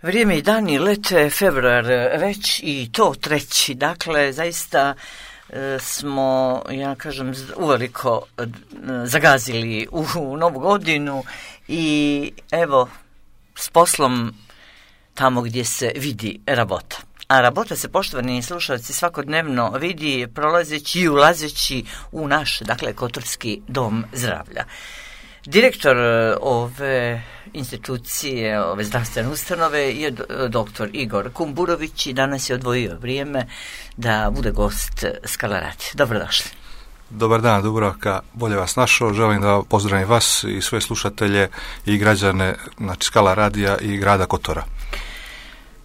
Vrijeme i dani lete, februar već i to treći, dakle zaista smo, ja kažem, uveliko zagazili u novu godinu i evo s poslom tamo gdje se vidi rabota. A rabota se, poštovani slušalci, svakodnevno vidi prolazeći i ulazeći u naš, dakle, Kotorski dom zdravlja. Direktor ove institucije, ove zdravstvene ustanove je doktor Igor Kumburović i danas je odvojio vrijeme da bude gost Skala Radija. Dobrodošli. Dobar dan, Dubravka, bolje vas našao. Želim da pozdravim vas i sve slušatelje i građane, znači Skala Radija i grada Kotora.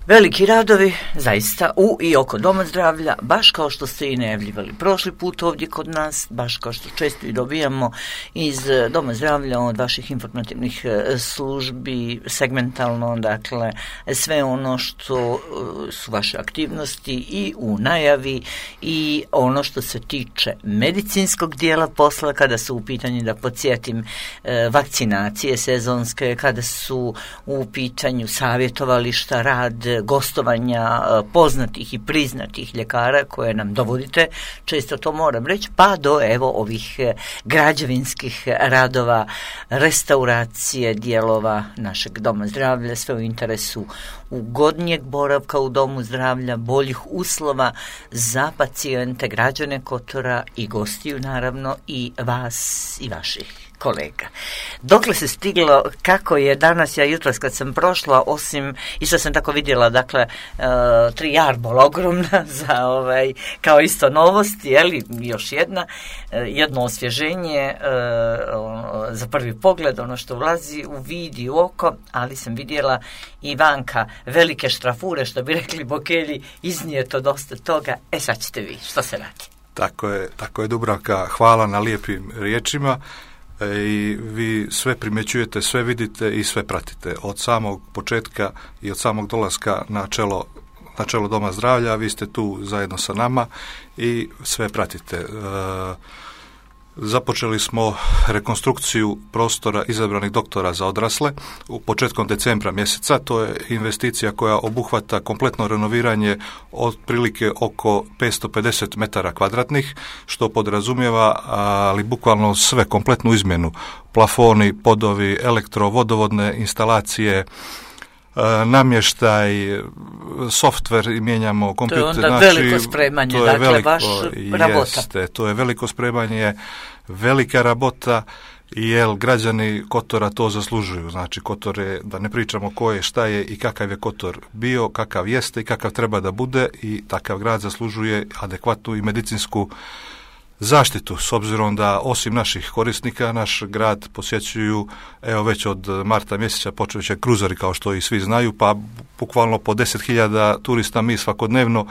Veliki radovi, zaista, u i oko Doma zdravlja, baš kao što ste i najavljivali prošli put ovdje kod nas, baš kao što često i dobijamo iz Doma zdravlja od vaših informativnih službi, segmentalno, dakle, sve ono što su vaše aktivnosti i u najavi i ono što se tiče medicinskog dijela posla, kada su u pitanju, da podsjetim, vakcinacije sezonske, kada su u pitanju savjetovališta, rad, gostovanja poznatih i priznatih ljekara koje nam dovodite, često to moram reći, pa do evo ovih građevinskih radova, restauracije dijelova našeg Doma zdravlja, sve u interesu ugodnijeg boravka u Domu zdravlja, boljih uslova za pacijente, građane Kotora i gostiju, naravno, i vas i vaših kolega. Dokle se stiglo, kako je danas, ja jutros kad sam prošla, osim, isto sam tako vidjela, dakle, 3 jarbola ogromna za kao isto novosti, jeli, još jedno osvježenje za prvi pogled, ono što ulazi u vid i u oko, ali sam vidjela i vanka velike štrafure, što bi rekli Bokelji, iznijeto dosta toga. Sad ćete vi, što se radi? Tako je, Dubravka, hvala na lijepim riječima. I vi sve primjećujete, sve vidite i sve pratite od samog početka i od samog dolaska na čelo Doma zdravlja. Vi ste tu zajedno sa nama i sve pratite. Započeli smo rekonstrukciju prostora izabranih doktora za odrasle u početkom decembra mjeseca. To je investicija koja obuhvata kompletno renoviranje otprilike oko 550 metara kvadratnih, što podrazumijeva, ali bukvalno sve, kompletnu izmjenu. Plafoni, podovi, vodovodne instalacije, namještaj, softver i mijenjamo kompjuter. To je onda veliko spremanje, to je dakle, baš rabota. To je veliko spremanje, velika rabota, jer građani Kotora to zaslužuju. Znači, Kotor je, da ne pričamo ko je, šta je i kakav je Kotor bio, kakav jeste i kakav treba da bude, i takav grad zaslužuje adekvatnu i medicinsku zaštitu, s obzirom da osim naših korisnika naš grad posjećuju, evo već od marta mjeseca počeli će kruzeri, kao što i svi znaju, pa bukvalno po 10.000 turista mi svakodnevno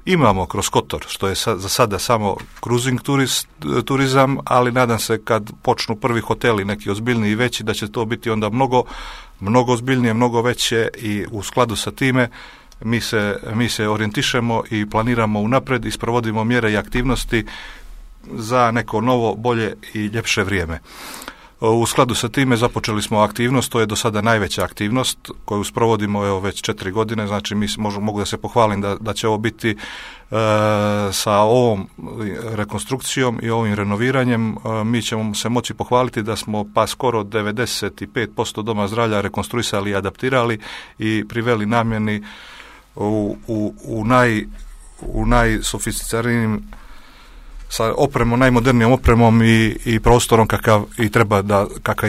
imamo kroz Kotor, što je za sada samo cruising turizam, ali nadam se kad počnu prvi hoteli, neki ozbiljniji i veći, da će to biti onda mnogo ozbiljnije, mnogo veće, i u skladu sa time mi se orijentišemo i planiramo unaprijed i sprovodimo mjere i aktivnosti za neko novo, bolje i ljepše vrijeme. U skladu sa time započeli smo aktivnost, to je do sada najveća aktivnost koju sprovodimo evo već 4 godine, znači mogu da se pohvalim da će ovo biti sa ovom rekonstrukcijom i ovim renoviranjem, mi ćemo se moći pohvaliti da smo pa skoro 95% Doma zdravlja rekonstruisali i adaptirali i priveli namjeni u najsofisticiranijim, sa opremom, najmodernijom opremom i prostorom kakav i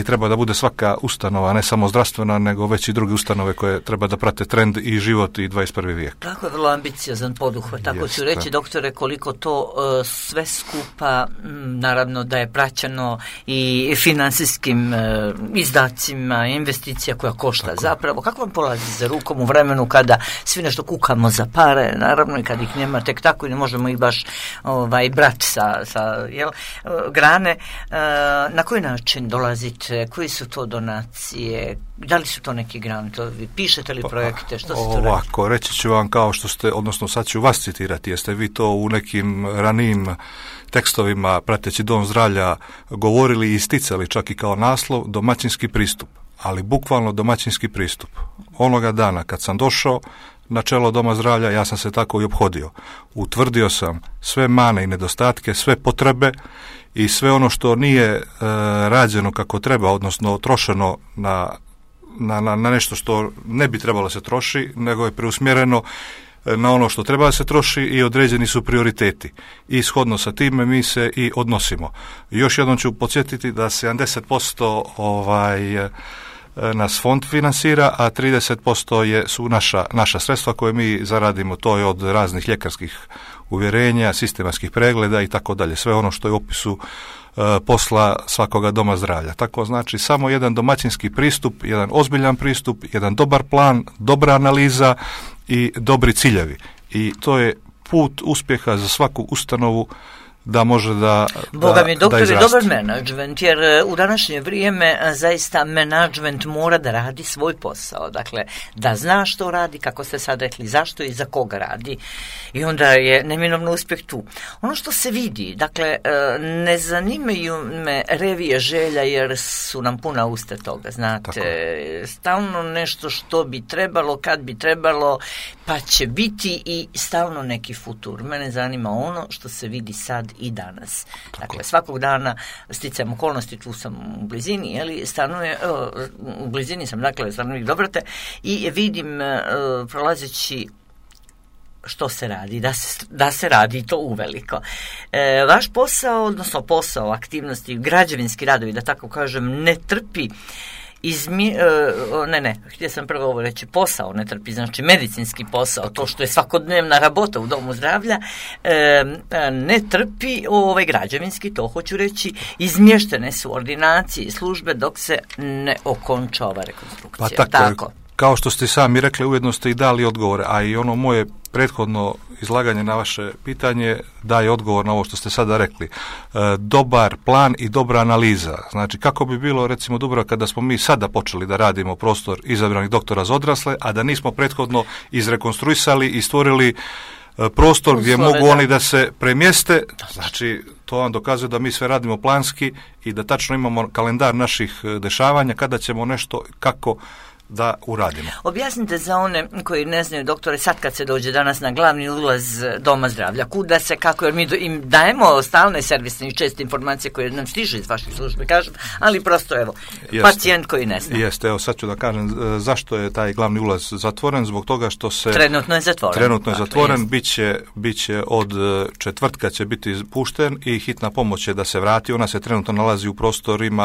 treba da bude svaka ustanova, ne samo zdravstvena, nego već i druge ustanove koje treba da prate trend i život i 21. vijek. Tako je vrlo ambiciozan poduhvat, tako ću reći, doktore, koliko to sve skupa, naravno da je praćeno i finansijskim izdacima, investicija koja košta. Tako. Zapravo, kako vam polazi za rukom u vremenu kada svi nešto kukamo za pare, naravno, i kad ih nema tek tako i ne možemo ih baš brati sa grane, na koji način dolazite, koji su to donacije, da li su to neki grantovi, pišete li projekte, što se to radi? Ovako, reći ću vam kao što ste, odnosno sad ću vas citirati, jeste vi to u nekim ranijim tekstovima prateći Dom zdravlja govorili i isticali čak i kao naslov, domaćinski pristup. ali bukvalno domaćinski pristup. Onoga dana kad sam došao na čelo Doma zdravlja, ja sam se tako i ophodio. Utvrdio sam sve mane i nedostatke, sve potrebe i sve ono što nije rađeno kako treba, odnosno trošeno na nešto što ne bi trebalo se troši, nego je preusmjereno na ono što treba da se troši i određeni su prioriteti. I shodno sa time mi se i odnosimo. Još jednom ću podsjetiti da 70% nas fond finansira, a 30% su naša sredstva koje mi zaradimo. To je od raznih ljekarskih uvjerenja, sistematskih pregleda i tako dalje. Sve ono što je u opisu posla svakoga doma zdravlja. Tako znači samo jedan domaćinski pristup, jedan ozbiljan pristup, jedan dobar plan, dobra analiza i dobri ciljevi. I to je put uspjeha za svaku ustanovu da može da Boga mi, doktor, je dobar menadžment, jer u današnje vrijeme zaista menadžment mora da radi svoj posao. Dakle, da zna što radi, kako ste sad rekli, zašto i za koga radi. I onda je neminovno uspjeh tu. Ono što se vidi, dakle, ne zanimaju me revije želja, jer su nam puna usta toga, znate. Stalno nešto što bi trebalo, kad bi trebalo, pa će biti i stalno neki futur. Mene zanima ono što se vidi sad i danas. Dakle, svakog dana sticajem okolnosti, tu sam u blizini, u blizini sam, dakle, stanovnik Dobrate i vidim prolazeći što se radi, da se radi to uveliko. Vaš posao, odnosno posao, aktivnosti, građevinski radovi, da tako kažem, ne trpi htio sam prvo ovo reći, posao ne trpi, znači medicinski posao, to što je svakodnevna rabota u domu zdravlja, ne trpi građevinski, to hoću reći, izmještene su ordinacije i službe dok se ne okonča ova rekonstrukcija. Pa tako. Kao što ste sami rekli, ujedno ste i dali odgovore, a i ono moje prethodno izlaganje na vaše pitanje daje odgovor na ovo što ste sada rekli. Dobar plan i dobra analiza. Znači, kako bi bilo, recimo, dobro kada smo mi sada počeli da radimo prostor izabranih doktora za odrasle, a da nismo prethodno izrekonstruisali i stvorili prostor gdje mogu oni da se premjeste. Znači, to vam dokazuje da mi sve radimo planski i da tačno imamo kalendar naših dešavanja, kada ćemo nešto, kako da uradimo. Objasnite za one koji ne znaju, doktore, sad kad se dođe danas na glavni ulaz Doma zdravlja, kuda se, kako, jer mi im dajemo stalne servisne i česte informacije koje nam stižu iz vaših službe, kažem, ali prosto, evo, pacijent koji ne zna. Jeste, evo sad ću da kažem zašto je taj glavni ulaz zatvoren, zbog toga što se... Trenutno je zatvoren. Bit će od četvrtka će biti pušten i hitna pomoć je da se vrati. Ona se trenutno nalazi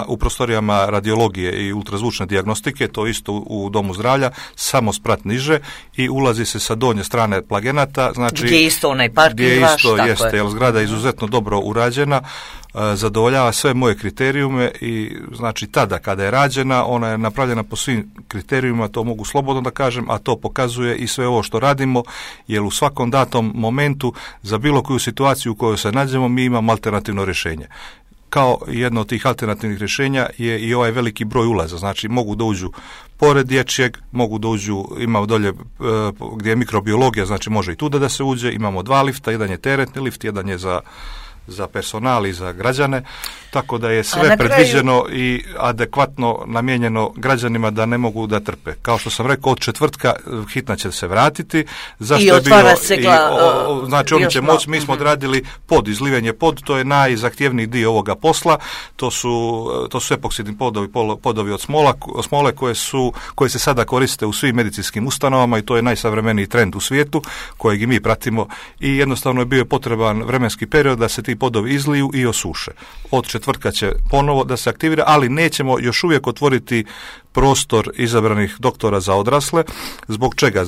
u prostorijama radiologije i ultrazvučne dijagnostike, to isto u Domu zdravlja, samo sprat niže i ulazi se sa donje strane Plagenata. Znači, gdje je isto onaj parking vaš, tako jeste, jer zgrada je izuzetno dobro urađena, zadovoljava sve moje kriterijume i znači tada kada je rađena, ona je napravljena po svim kriterijuma, to mogu slobodno da kažem, a to pokazuje i sve ovo što radimo, jer u svakom datom momentu za bilo koju situaciju u kojoj se nađemo mi imamo alternativno rješenje. Kao jedno od tih alternativnih rješenja je i ovaj veliki broj ulaza. Znači, mogu da uđu pored dječjeg, mogu da uđu, imamo dolje gdje je mikrobiologija, znači može i tuda da se uđe, imamo 2 lifta, jedan je teretni lift, jedan je za personal i za građane, tako da je sve predviđeno i adekvatno namijenjeno građanima da ne mogu da trpe. Kao što sam rekao, od četvrtka hitna će se vratiti. Zašto i otvara se znači oni će moći, mi smo odradili izlivanje pod, to je najzahtjevniji dio ovoga posla, to su epoksidni podovi od smole koje se sada koriste u svim medicinskim ustanovama i to je najsavremeniji trend u svijetu kojeg i mi pratimo i jednostavno je bio potreban vremenski period da se ti podovi izliju i osuše. Od četvrtka će ponovo da se aktivira, ali nećemo još uvijek otvoriti prostor izabranih doktora za odrasle. Zbog čega?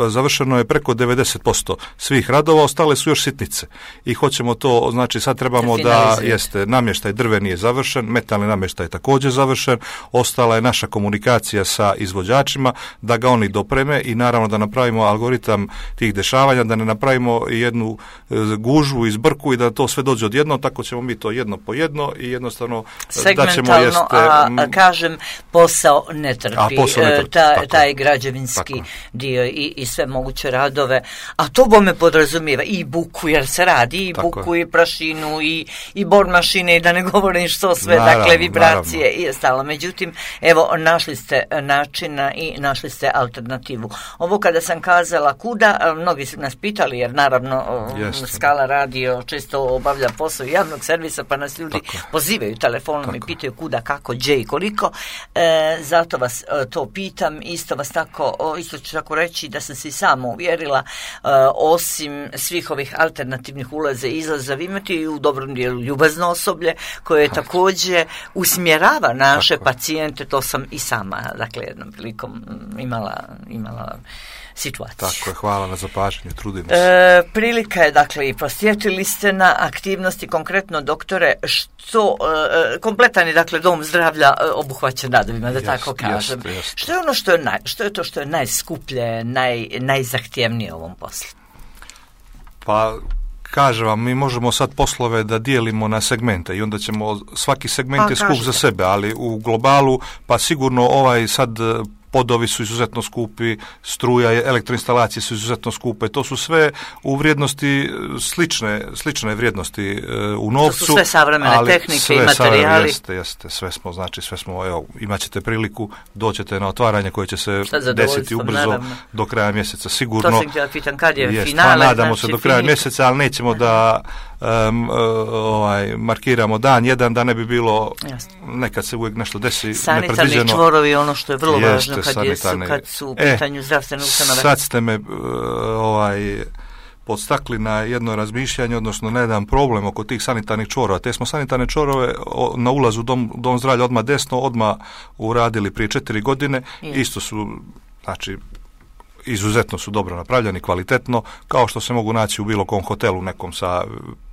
Završeno je preko 90% svih radova, ostale su još sitnice. I hoćemo to, znači sad trebamo da namještaj drveni je završen, metalni namještaj je također završen, ostala je naša komunikacija sa izvođačima, da ga oni dopreme i naravno da napravimo algoritam tih dešavanja, da ne napravimo jednu gužvu i zbrku i da to to sve dođe odjednom, tako ćemo mi to jedno po jedno i jednostavno segmentalno, da ćemo jeste... kažem, posao ne trpi, taj građevinski tako dio i sve moguće radove, a to bome podrazumijeva i buku, jer se radi i tako buku i prašinu i bor mašine i da ne govorim što sve, dakle vibracije i ostalo. Međutim, evo, našli ste načina i našli ste alternativu. Ovo kada sam kazala kuda, mnogi su nas pitali, jer naravno Skala radio često obavlja posao javnog servisa, pa nas ljudi pozivaju telefonom i pitaju kuda, kako, gdje i koliko. Zato vas to pitam, isto ću tako reći da sam se i sama uvjerila, osim svih ovih alternativnih ulaza i izlaza, vi imate i u dobrom dijelu ljubazno osoblje koje također usmjerava naše pacijente, to sam i sama, dakle, jednom prilikom imala situaciju. Tako je, hvala na zapažanju, trudimo se. Prilika je, dakle, i posjetili ste na aktivnosti, konkretno, doktore, što kompletan je, dakle, dom zdravlja obuhvaćen radovima, da tako kažem. Što je ono što je najskuplje, najzahtjevnije u ovom poslu? Pa, kažem vam, mi možemo sad poslove da dijelimo na segmente i onda ćemo, svaki segment je skup za sebe, ali u globalu, pa sigurno sad podovi su izuzetno skupi, struja, elektroinstalacije su izuzetno skupe, to su sve u vrijednosti slične vrijednosti u novcu. To su sve savremene tehnike i materijali. Sve smo, evo, imat ćete priliku, doćete na otvaranje koje će se desiti ubrzo do kraja mjeseca, sigurno. To sam htjela pitan, kad je finale? Nadamo se do kraja mjeseca, ali nećemo da markiramo dan jedan, da ne bi bilo, nekad se uvijek nešto desi nepredviđeno. Sanitarni čvorovi, ono što je vrlo važno kad su u pitanju zdravstvene ustanove. Sad ste me podstakli na jedno razmišljanje, odnosno na jedan problem oko tih sanitarnih čvorova. Te smo sanitarne čvorove na ulazu dom zdravlja odmah uradili prije 4 godine. Isto su, znači, izuzetno su dobro napravljeni, kvalitetno, kao što se mogu naći u bilo kom hotelu, nekom sa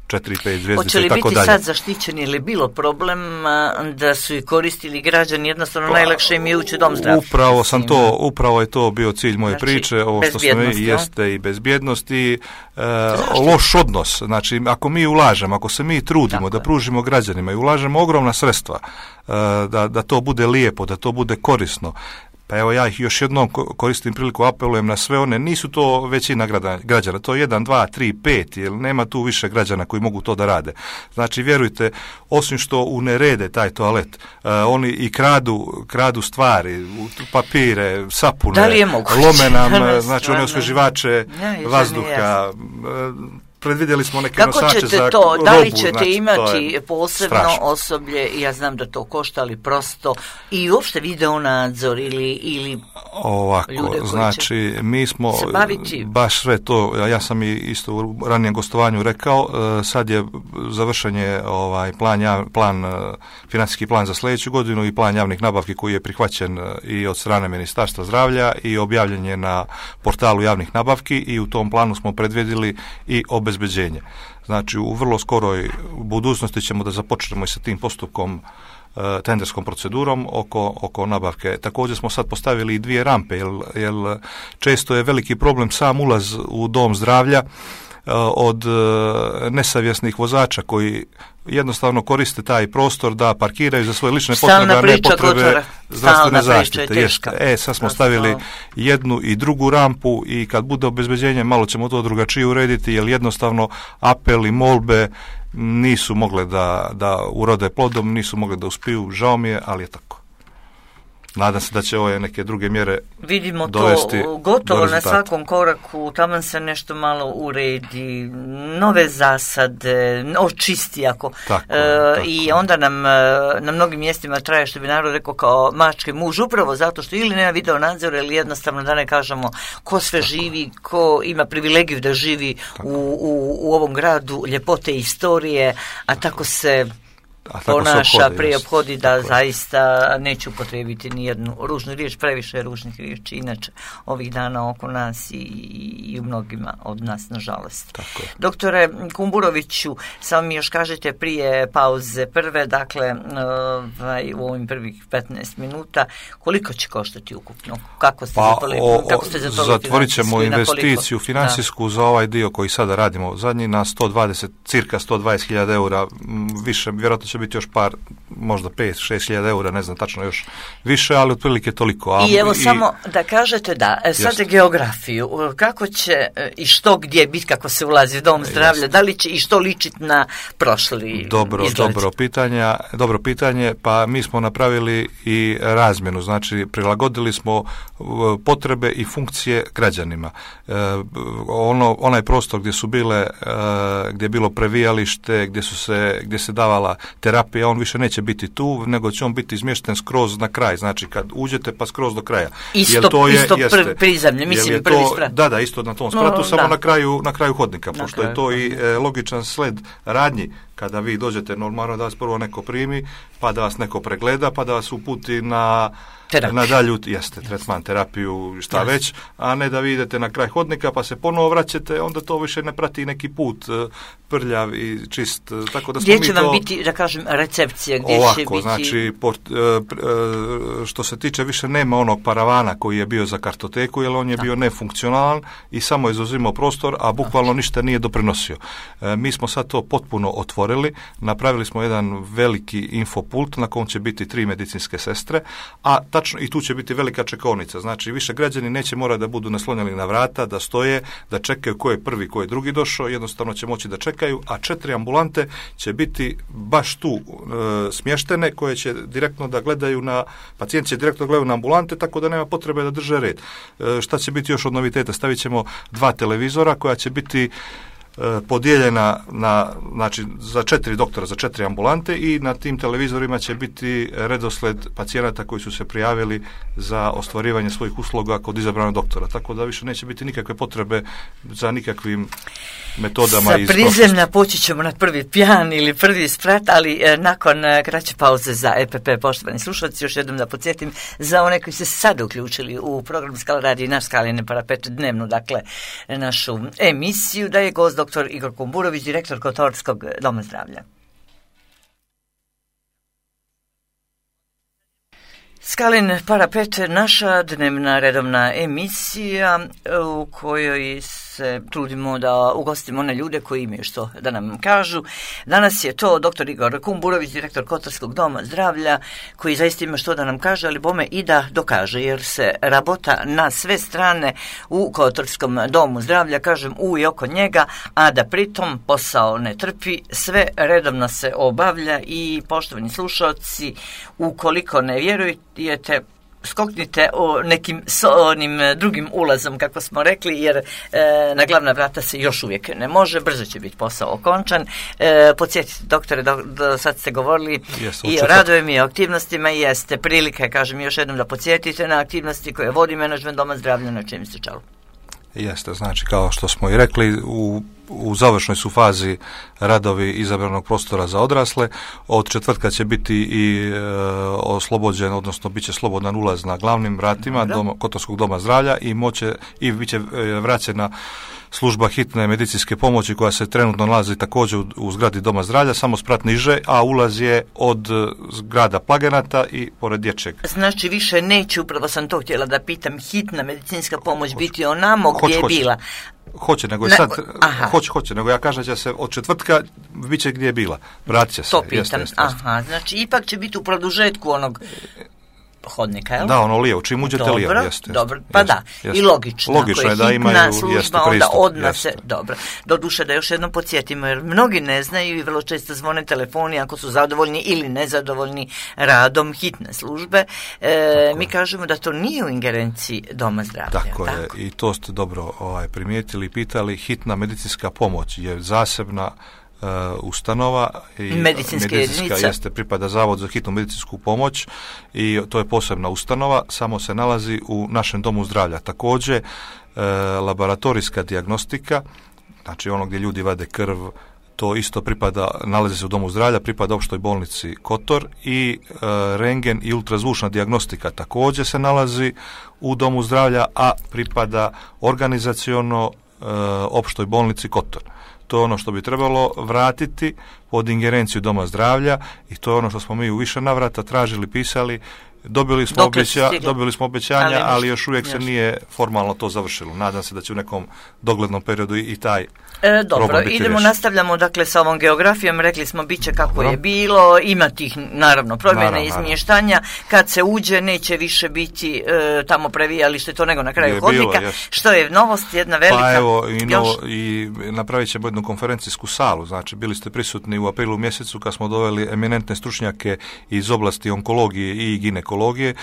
4-5 zvjezdice i tako dalje. Hoće li biti sad zaštićeni ili bilo problem da su i koristili građani, jednostavno najlakše im je ući u dom zdravlja? Upravo je to bio cilj moje priče, ovo što smo jeste i bezbjednost i loš odnos. Znači, ako mi ulažemo, ako se mi trudimo da pružimo građanima i ulažemo ogromna sredstva, da to bude lijepo, da to bude korisno, pa evo ja ih još jednom koristim priliku, apelujem na sve one, nisu to većina građana, to je 1, 2, 3, 5, jer nema tu više građana koji mogu to da rade. Znači, vjerujte, osim što unerede taj toalet, oni i kradu stvari, papire, sapune, lome nam, znači one osveživače vazduha, predvidjeli smo neke nosače za robu. Da li ćete imati posebno osoblje, ja znam da to košta, ali prosto, i uopšte video nadzor ili ovako, ljude koji znači, mi smo baš sve to, ja sam i isto u ranijem gostovanju rekao, sad je završen financijski plan za sljedeću godinu i plan javnih nabavki koji je prihvaćen i od strane Ministarstva zdravlja i objavljen je na portalu javnih nabavki i u tom planu smo predvidjeli i obezbeđenje. Znači, u vrlo skoroj budućnosti ćemo da započnemo i sa tim postupkom, tenderskom procedurom oko nabavke. Također smo sad postavili i 2 rampe, jer često je veliki problem sam ulaz u dom zdravlja od nesavjesnih vozača koji jednostavno koriste taj prostor da parkiraju za svoje lične potrebe, a ne potrebe zdravstvene zaštite. Sad smo stavili jednu i drugu rampu i kad bude obezbeđenje malo ćemo to drugačije urediti, jer jednostavno apeli, molbe nisu mogle da urode plodom, nisu mogle da uspiju, žao mi je, ali je tako. Nadam se da će ove neke druge mjere vidimo dovesti to gotovo na svakom koraku, tamo se nešto malo uredi, nove zasade, očisti i onda nam na mnogim mjestima traje, što bi narod rekao, kao mačke muž, upravo zato što ili nema video nadzora ili jednostavno, da ne kažemo, ko sve živi, ko ima privilegiju da živi u ovom gradu, ljepote i istorije, a tako se ponaša, prijephodi, da zaista neću upotrijebiti ni jednu ružnu riječ, previše ružnih riječi, inače ovih dana oko nas i u mnogima od nas, nažalost. Doktore Kumburoviću, samo mi još kažete prije pauze prve, dakle, u ovim prvih 15 minuta, koliko će koštati ukupno? Kako ste zatvorit ćemo investiciju financijsku za ovaj dio koji sada radimo zadnji na cirka 120.000 eura, više, vjerojatno će biti još par, možda 5-6.000 eura, ne znam tačno još više, ali otprilike toliko. I evo samo da kažete sad geografiju, kako će i što gdje biti kako se ulazi u dom zdravlja, da li će i što ličiti na prošli izgled? Dobro pitanje, pa mi smo napravili i razmjenu, znači prilagodili smo potrebe i funkcije građanima. Onaj prostor gdje su bile, gdje je bilo previjalište, gdje se davala terapija, on više neće biti tu, nego će on biti izmješten skroz na kraj, znači kad uđete pa skroz do kraja. Isto prizemlje, mislim prvi sprat. Da, isto na tom spratu, samo na kraju hodnika, pošto je to i logičan sled radnji. Kada vi dođete, normalno da vas prvo neko primi, pa da vas neko pregleda, pa da vas uputi na dalju, tretman, terapiju, šta već, a ne da vi idete na kraj hodnika pa se ponovo vraćate, onda to više ne prati neki put prljav i čist. Tako da gdje će vam biti, da kažem, recepcija? Gdje će biti... znači, što se tiče, više nema onog paravana koji je bio za kartoteku, jer on je bio nefunkcionalan i samo je zauzimao prostor, a bukvalno ništa nije doprinosio. Mi smo sad to potpuno otvorili, napravili smo jedan veliki infopult na kojem će biti 3 medicinske sestre, a tačno i tu će biti velika čekaonica. Znači, više građani neće morati da budu naslonjeni na vrata, da stoje, da čekaju ko je prvi, ko je drugi došao, jednostavno će moći da čekaju, a 4 ambulante će biti baš tu smještene, koje će direktno da gledaju pacijenti će direktno gledaju na ambulante, tako da nema potrebe da drže red. Šta će biti još od noviteta? Stavit ćemo 2 televizora koja će biti podijeljena znači za 4 doktora, za 4 ambulante, i na tim televizorima će biti redosled pacijenata koji su se prijavili za ostvarivanje svojih usluga kod izabranog doktora. Tako da više neće biti nikakve potrebe za nikakvim metodama iz prošlosti. Sa prizemlja poći ćemo na prvi pjan ili prvi sprat, ali nakon kraće pauze za EPP. Poštovani slušalci, još jednom da podsjetim za one koji se sad uključili u program Skala radi naš Skalin Parapet dnevnu, dakle našu emisiju, da je gost dr. Igor Kumburović, direktor Kotorskog doma zdravlja. Skalin Parapet, naša dnevna redovna emisija u kojoj se trudimo da ugostimo one ljude koji imaju što da nam kažu. Danas je to dr. Igor Kumburović, direktor Kotorskog doma zdravlja, koji zaista ima što da nam kaže, ali bome i da dokaže, jer se rabota na sve strane u Kotorskom domu zdravlja, kažem u i oko njega, a da pritom posao ne trpi, sve redovno se obavlja. I poštovani slušalci, ukoliko ne vjerujete, skoknite nekim onim drugim ulazom, kako smo rekli, jer na glavna vrata se još uvijek ne može, brzo će biti posao okončan. Podsjetite, doktore, sad ste govorili i o radovima i o aktivnostima, i jeste prilike, kažem još jednom, da podsjetite na aktivnosti koje vodi menadžment doma zdravlja, na čem ste čelu. Jeste, znači kao što smo i rekli, u završnoj su fazi radovi izabranog prostora za odrasle. Od četvrtka će biti i oslobođen, odnosno bit će slobodan ulaz na glavnim vratima Kotorskog doma zdravlja i bit će vraćena služba hitne medicinske pomoći koja se trenutno nalazi također u zgradi doma zdravlja, samo sprat niže, a ulaz je od zgrada Plagenata i pored dječjeg. Znači više neće, upravo sam to htjela da pitam, hitna medicinska pomoć biti onamo gdje je bila. Hoće, nego je hoće, nego ja kažem da će se od četvrtka bit će gdje je bila. Vratit će se. To pitam. Znači ipak će biti u produžetku onog hodnika, jel? Da, ono lijevo, čim uđete lijevo, jeste. Dobro, pa jeste, i logično. Logično je da imaju služba, onda odmah se, dobro. Doduše da još jednom podsjetimo, jer mnogi ne znaju i vrlo često zvone telefoni ako su zadovoljni ili nezadovoljni radom hitne službe. Mi kažemo da to nije u ingerenciji doma zdravlja. Tako je, i to ste dobro primijetili i pitali. Hitna medicinska pomoć je zasebna ustanova i medicinska jeste, pripada Zavod za hitnu medicinsku pomoć i to je posebna ustanova, samo se nalazi u našem domu zdravlja. Također laboratorijska dijagnostika, znači ono gdje ljudi vade krv, to isto nalazi se u domu zdravlja, pripada opštoj bolnici Kotor i rengen i ultrazvučna dijagnostika također se nalazi u domu zdravlja, a pripada organizaciono opštoj bolnici Kotor. To je ono što bi trebalo vratiti pod ingerenciju doma zdravlja i to je ono što smo mi u više navrata tražili, pisali. Dobili smo obećanja, ali još uvijek se nije formalno to završilo. Nadam se da će u nekom doglednom periodu i taj dobro, idemo, nastavljamo dakle sa ovom geografijom. Rekli smo bit će kako je bilo, ima tih naravno promjena i izmještanja. Kad se uđe neće više biti tamo previjalište to nego na kraju hodnika. Što je novost, jedna velika. Pa evo, i napravit ćemo jednu konferencijsku salu. Znači, bili ste prisutni u aprilu mjesecu kad smo doveli eminentne stručnjake iz oblasti onkologije i ginekologije.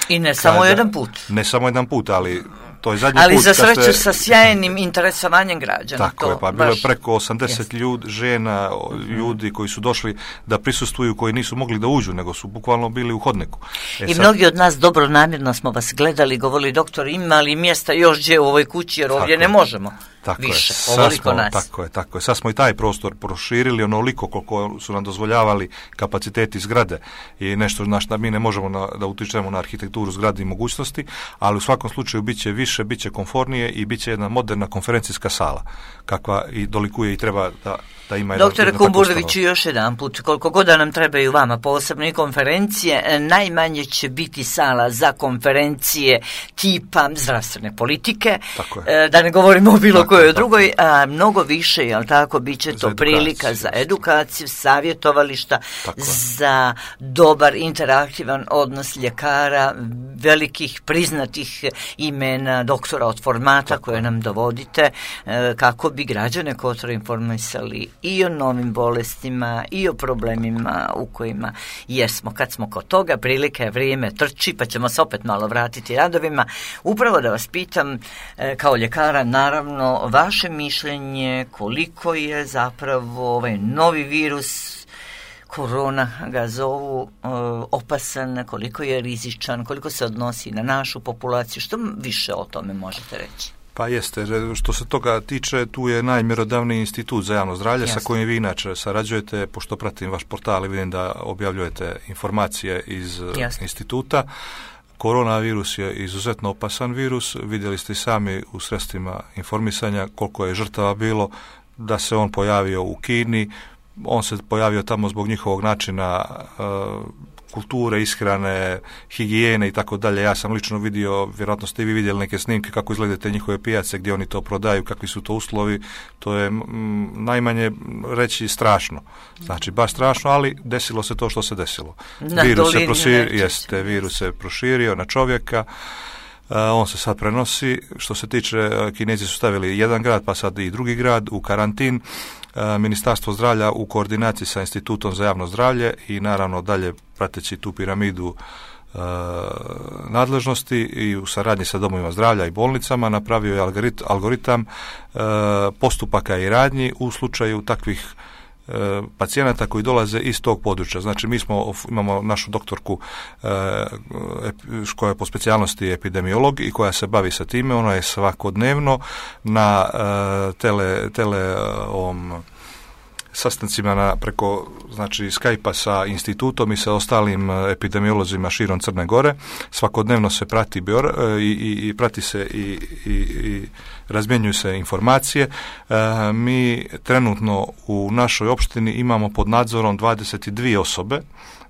I ne samo jedan put. Ne samo jedan put, ali to je zadnji ali put. Ali za sreću sa sjajnim interesovanjem građana. Tako je, pa bilo je preko 80 žena, ljudi koji su došli da prisustvuju, koji nisu mogli da uđu, nego su bukvalno bili u hodniku. I mnogi od nas dobro namjerno smo vas gledali, govorili doktor, ima li mjesta još gdje u ovoj kući, jer ovdje ne možemo. Tako više, Tako je. Sad smo i taj prostor proširili onoliko koliko su nam dozvoljavali kapaciteti zgrade i nešto na što mi ne možemo da utičemo na arhitekturu zgrade i mogućnosti, ali u svakom slučaju bit će više, bit će komfornije i bit će jedna moderna konferencijska sala, kakva i dolikuje i treba da ima jedan. Doktore Kumburoviću, još jedan put, koliko god da nam trebaju vama posebno i konferencije, najmanje će biti sala za konferencije tipa zdravstvene politike, da ne govorimo o bilo kojoj drugoj, a mnogo više, jel tako, bit će to prilika za edukaciju, savjetovališta, za dobar interaktivan odnos ljekara, velikih priznatih imena, doktora od formata koje nam dovodite, kako bi građane Kotora informisali i o novim bolestima i o problemima u kojima jesmo. Kad smo kod toga, prilika je, vrijeme trči, pa ćemo se opet malo vratiti radovima. Upravo da vas pitam, kao ljekara, naravno, vaše mišljenje koliko je zapravo ovaj novi virus, korona ga zovu, opasan, koliko je rizičan, koliko se odnosi na našu populaciju, što više o tome možete reći? Pa jeste, što se toga tiče, tu je najmjerodavniji institut za javno zdravlje sa kojim vi inače sarađujete, pošto pratim vaš portal i vidim da objavljujete informacije iz instituta. Koronavirus je izuzetno opasan virus, vidjeli ste i sami u sredstvima informisanja koliko je žrtava bilo, da se on pojavio u Kini, on se pojavio tamo zbog njihovog načina kulture, ishrane, higijene i tako dalje. Ja sam lično vidio, vjerojatno ste i vi vidjeli neke snimke kako izgledaju te njihove pijace, gdje oni to prodaju, kakvi su to uslovi. To je najmanje reći strašno. Znači, baš strašno, ali desilo se to što se desilo. Virus se proširio na čovjeka. On se sad prenosi. Što se tiče, Kinezi su stavili jedan grad, pa sad i drugi grad u karantin. Ministarstvo zdravlja u koordinaciji sa Institutom za javno zdravlje i naravno dalje prateći tu piramidu nadležnosti i u saradnji sa domovima zdravlja i bolnicama napravio je algoritam postupaka i radnji u slučaju takvih pacijenata koji dolaze iz tog područja. Znači, mi imamo našu doktorku koja je po specijalnosti epidemiolog i koja se bavi sa time. Ona je svakodnevno na sastancima preko Skype-a sa institutom i sa ostalim epidemiolozima širom Crne Gore. Svakodnevno se prati i prati se i razmjenjuju se informacije. Mi trenutno u našoj opštini imamo pod nadzorom 22 osobe.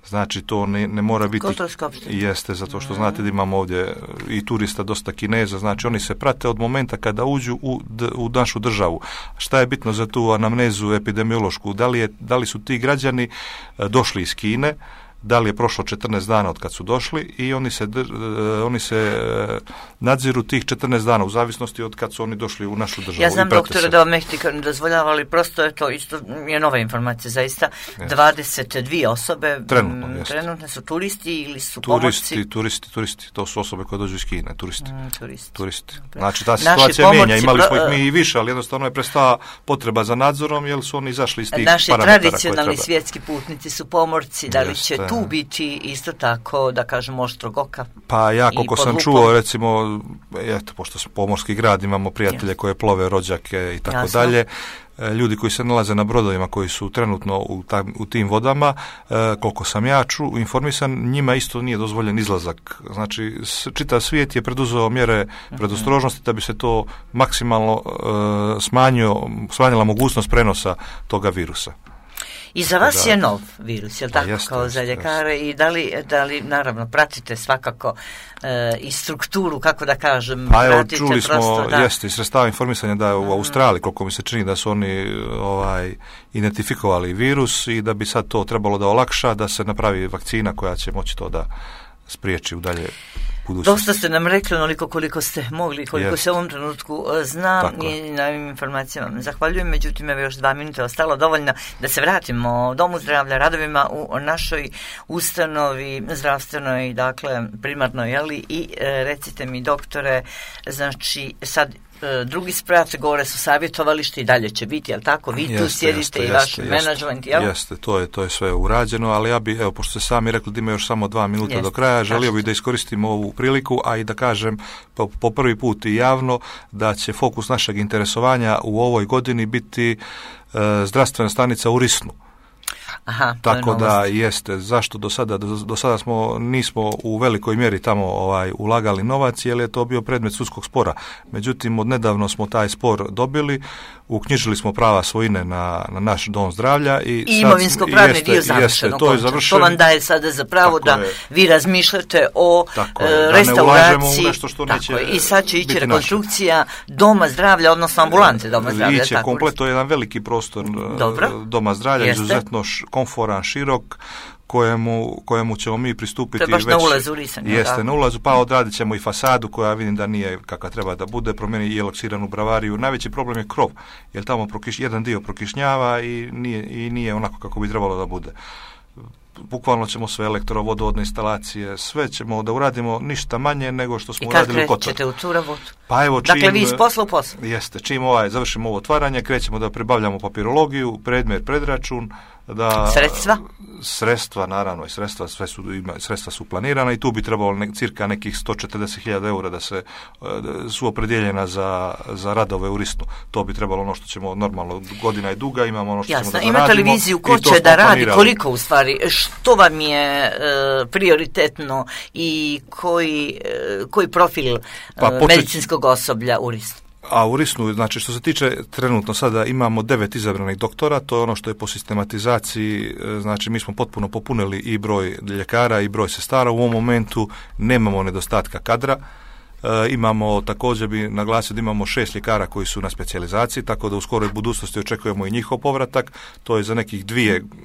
Znači, to ne mora biti... Jeste, zato što znate da imamo ovdje i turista, dosta Kineza, znači oni se prate od momenta kada uđu u našu državu. Šta je bitno za tu anamnezu epidemiološku? Da li su ti građani došli iz Kine, da li je prošlo 14 dana od kad su došli i oni se nadziru tih 14 dana u zavisnosti od kad su oni došli u našu državu. Ja znam, doktore, da vam Mehtika ne dozvoljava, ali prosto je to isto je nova informacija, zaista. 22 osobe trenutno su turisti ili su pomorci? Turisti, to su osobe koje dođu iz Kine, turisti. Znači, ta situacija mijenja, imali smo ih mi i više, ali jednostavno je prestala potreba za nadzorom, jer su oni izašli iz tih parametara koje treba. Naši tradicionalni svjetski putnici su pomorci, da li će tu biti isto tako, da kažem, oštrog oka? Pa ja, koliko sam čuo, recimo, eto, pošto smo pomorski grad, imamo prijatelje koje plove, rođake i tako dalje, ljudi koji se nalaze na brodovima koji su trenutno u tim vodama, koliko sam ja informisan, njima isto nije dozvoljen izlazak. Znači, čitav svijet je preduzeo mjere predostrožnosti da bi se to maksimalno smanjila mogućnost prenosa toga virusa. I za vas je nov virus, je li tako, kao za ljekare? I da li naravno, pratite svakako i strukturu, kako da kažem, pa evo, čuli smo, jeste, iz sredstava informisanja da je u Australiji, koliko mi se čini da su oni identifikovali virus i da bi sad to trebalo da olakša, da se napravi vakcina koja će moći to da spriječi u dalje. Dosta ste nam rekli onoliko koliko ste mogli, koliko se u ovom trenutku zna i na ovim informacijama zahvaljujem, međutim evo još 2 minute ostalo dovoljno da se vratimo Domu zdravlja, radovima u našoj ustanovi zdravstvenoj, dakle primarnoj, jeli, i recite mi doktore, znači sad drugi sprat, gore su savjetovalište i dalje će biti, jel tako? Vi tu sjedite i vaš menadžment, jel? Jeste, to je sve urađeno, ali ja bi, evo, pošto ste sami rekli da ima još samo 2 minuta do kraja, želio bih da iskoristim ovu priliku, a i da kažem po prvi put i javno da će fokus našeg interesovanja u ovoj godini biti zdravstvena stanica u Risnu. Aha, tako da jeste, zašto do sada nismo u velikoj mjeri tamo ulagali novac, jer je to bio predmet sudskog spora. Međutim, odnedavno smo taj spor dobili, uknjižili smo prava svojine na naš dom zdravlja i imovinsko-pravni dio završeno. To vam daje sada za pravo da vi razmišljate o restauraciji. Nešto što neće i sad će ići rekonstrukcija doma zdravlja, odnosno ambulante doma zdravlja. Iće komplet, to je jedan veliki prostor doma zdravlja, izuzetno komforan, širok, kojemu ćemo mi pristupiti. To je baš na ulazu Risan. Jeste, na ulazu, pa odradit ćemo i fasadu koja vidim da nije kakva treba da bude, promijeni i eloksiranu bravariju. Najveći problem je krov, jer tamo jedan dio prokišnjava i nije onako kako bi trebalo da bude. Bukvalno ćemo sve elektrovodovodne instalacije, sve ćemo da uradimo, ništa manje nego što smo uradili u Kotoru. I kad krećete u tu rabotu? Pa evo, dakle, vi iz posla u poslu? Jeste, čim završimo ovo otvaranje, krećemo da pribavljamo papirologiju, predmet, predračun, Sredstva, naravno, i sredstva su planirana i tu bi trebalo cirka nekih 140.000 eura da se su opredjeljena za radove u Risnu. To bi trebalo ono što ćemo normalno, godina je duga, imamo ono što ćemo da zaradimo. Imate li viziju ko će da radi, koliko u stvari, što vam je prioritetno i koji profil medicinskog osoblja u Risnu? A u Risnu, znači što se tiče trenutno sada imamo 9 izabranih doktora, to je ono što je po sistematizaciji, znači mi smo potpuno popunili i broj ljekara i broj sestara, u ovom momentu nemamo nedostatka kadra. Imamo, također bi naglasio da imamo 6 ljekara koji su na specijalizaciji, tako da u skoroj budućnosti očekujemo i njihov povratak. To je za nekih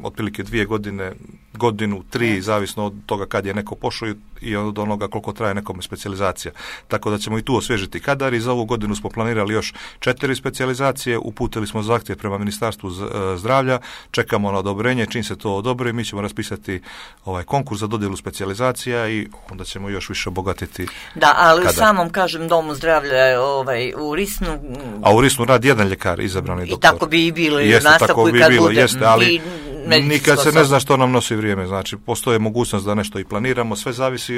otprilike 2 godine, godinu, 3, zavisno od toga kad je neko pošao i od onoga koliko traje nekome specijalizacija. Tako da ćemo i tu osvježiti kadar i za ovu godinu smo planirali još 4 specijalizacije, uputili smo zahtjev prema Ministarstvu zdravlja, čekamo na odobrenje, čim se to odobri, mi ćemo raspisati konkurs za dodjelu specijalizacija i onda ćemo još više obogatiti. Da, ali samom, kažem, domu zdravlja u Risnu. A u Risnu radi jedan ljekar, izabrani doktor. I tako bi i bilo i u nastavku i kad bude. Jeste, ali nikad se ne zna što nam nosi vrijeme. Znači, postoje mogućnost da nešto i planiramo, sve zavisi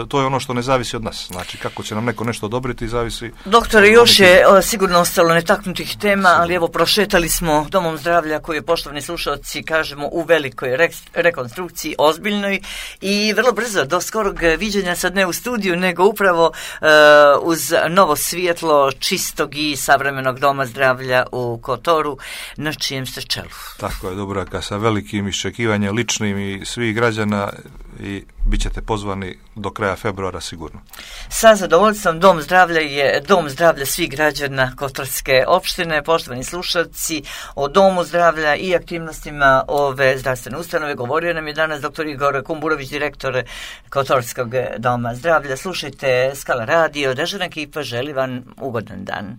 to je ono što ne zavisi od nas. Znači, kako će nam neko nešto odobriti, zavisi. Doktore, još je sigurno ostalo netaknutih tema, ali evo, prošetali smo domom zdravlja koji je, poštovani slušalci, kažemo, u velikoj rekonstrukciji, ozbiljnoj i vrlo brzo, do skorog viđenja, sad ne u studiju, nego upravo uz novo svjetlo čistog i savremenog doma zdravlja u Kotoru, na čijem ste čelu. Tako je, Dubravka, sa velikim iščekivanjem ličnim i svih građana i bit ćete pozvani do kraja februara sigurno. Sa zadovoljstvom, dom zdravlja je dom zdravlja svih građana Kotorske opštine. Poštovani slušalci, o domu zdravlja i aktivnostima ove zdravstvene ustanove govorio nam je danas dr. Igor Kumburović, direktor Kotorskog doma zdravlja. Slušajte Skala radio, Dežurna ekipa želi vam ugodan dan.